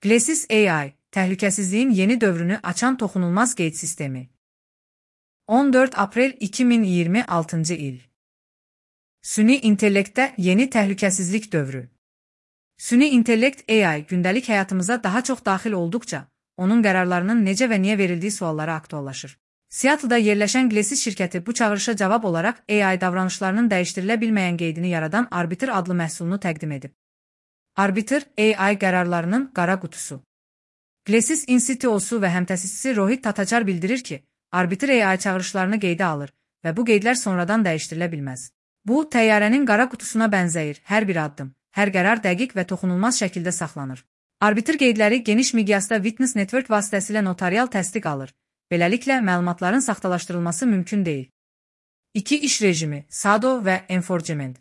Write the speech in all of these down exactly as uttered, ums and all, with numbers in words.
Glesis A I, təhlükəsizliyin yeni dövrünü açan toxunulmaz qeyd sistemi. on dörd aprel iki min iyirmi altıncı il. Süni intellektdə yeni təhlükəsizlik dövrü. Süni intellekt A I gündəlik həyatımıza daha çox daxil olduqca, onun qərarlarının necə və niyə verildiyi suallara aktuallaşır. Seattle'da yerləşən Glesis şirkəti bu çağırışa cavab olaraq A I davranışlarının dəyişdirilə bilməyən qeydini yaradan Arbiter adlı məhsulunu təqdim edib. Arbiter, A I qərarlarının qara qutusu. Glesis İn C T O-su və həmtəsisçisi Rohit Tataçar bildirir ki, Arbiter A I çağırışlarını qeydə alır və bu qeydlər sonradan dəyişdirilə bilməz. Bu, təyyarənin qara qutusuna bənzəyir, hər bir addım, hər qərar dəqiq və toxunulmaz şəkildə saxlanır. Arbiter qeydləri geniş miqyasda Witness Network vasitəsilə notarial təsdiq alır. Beləliklə, məlumatların saxtalaşdırılması mümkün deyil. İki iş rejimi, S A D O və Enforcement.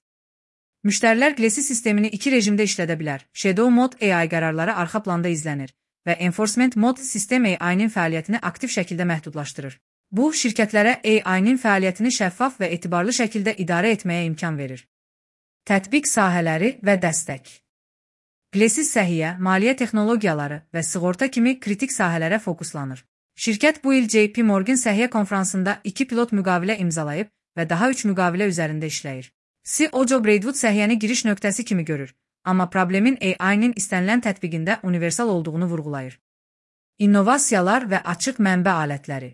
Müştərilər Glesis sistemini iki rejimdə işlədə bilər. Shadow Mode A I qərarları arxa planda izlənir və Enforcement Mode sistem A I-nin fəaliyyətini aktiv şəkildə məhdudlaşdırır. Bu, şirkətlərə A I-nin fəaliyyətini şəffaf və etibarlı şəkildə idarə etməyə imkan verir. Tətbiq sahələri və dəstək. Glesis səhiyyə, maliyyə texnologiyaları və sığorta kimi kritik sahələrə fokuslanır. Şirkət bu il J P Morgan səhiyyə konfransında iki pilot müqavilə imzalayıb və daha üç müqavilə üzərində işləyir. C E O Joe Braidwood səhiyyəni giriş nöqtəsi kimi görür, amma problemin A I-nin istənilən tətbiqində universal olduğunu vurğulayır. İnnovasiyalar və açıq mənbə alətləri.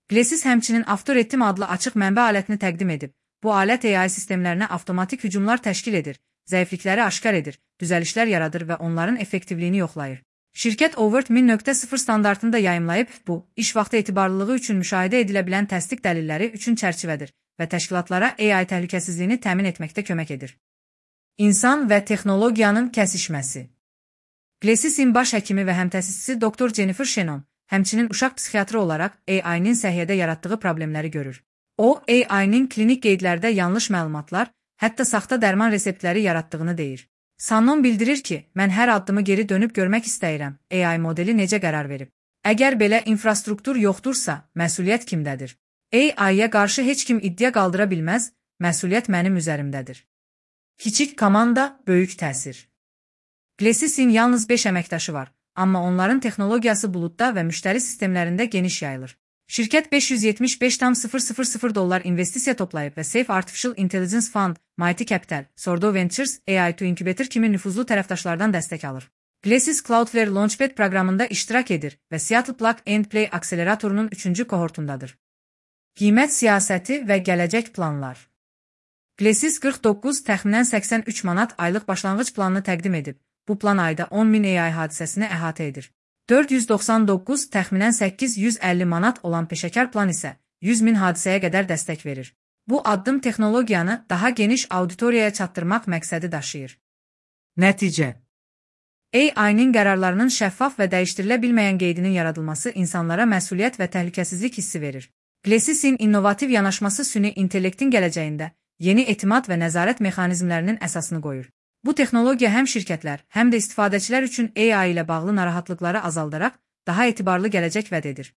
Glesis həmçinin Avtoretim adlı açıq mənbə alətini təqdim edib. Bu alət A I sistemlərinə avtomatik hücumlar təşkil edir, zəiflikləri aşkar edir, düzəlişlər yaradır və onların effektivliyini yoxlayır. Şirkət Overt min nöqtə sıfır standartını da yayımlayıb, bu, iş vaxtı etibarlılığı üçün müşahidə edilə bilən təsdiq dəlilləri üçün çərçivədir və təşkilatlara A I təhlükəsizliyini təmin etməkdə kömək edir. İnsan və texnologiyanın kəsişməsi. Glesisin baş həkimi və həmtəsisçisi doktor Jennifer Shannon, həmçinin uşaq psixiatrı olaraq A I-nin səhiyyədə yaratdığı problemləri görür. O, A I-nin klinik qeydlərdə yanlış məlumatlar, hətta saxta dərman reseptləri yaratdığını deyir. Shannon bildirir ki, mən hər addımı geri dönüb görmək istəyirəm, A I modeli necə qərar verib. Əgər belə infrastruktur yoxdursa, məsuliyyət kimdədir? A I-yə qarşı heç kim iddia qaldıra bilməz, məsuliyyət mənim üzərimdədir. Kiçik komanda, böyük təsir. Glesisin yalnız beş əməkdaşı var, amma onların texnologiyası buludda və müştəri sistemlərində geniş yayılır. Şirkət beş yüz yetmiş beş min sıfır dollar investisiya toplayıb və Safe Artificial Intelligence Fund, Mighty Capital, Sordo Ventures, A I to Incubator kimi nüfuzlu tərəfdaşlardan dəstək alır. Glesis Cloudflare Launchpad proqramında iştirak edir və Seattle Plug and Play akseleratorunun üçüncü kohortundadır. Qiymət siyasəti və gələcək planlar. Glesis qırx doqquz təxminən səksən üç manat aylıq başlanğıc planını təqdim edib. Bu plan ayda on min A I hadisəsini əhatə edir. dörd yüz doxsan doqquz təxminən səkkiz yüz əlli manat olan peşəkar plan isə yüz min hadisəyə qədər dəstək verir. Bu addım texnologiyanı daha geniş auditoriyaya çatdırmaq məqsədi daşıyır. Nəticə. A I-nin qərarlarının şəffaf və dəyişdirilə bilməyən qeydinin yaradılması insanlara məsuliyyət və təhlükəsizlik hissi verir. Glesisin innovativ yanaşması süni intellektin gələcəyində yeni etimad və nəzarət mexanizmlərinin əsasını qoyur. Bu texnologiya həm şirkətlər, həm də istifadəçilər üçün A I ilə bağlı narahatlıqları azaldaraq daha etibarlı gələcək vəd edir.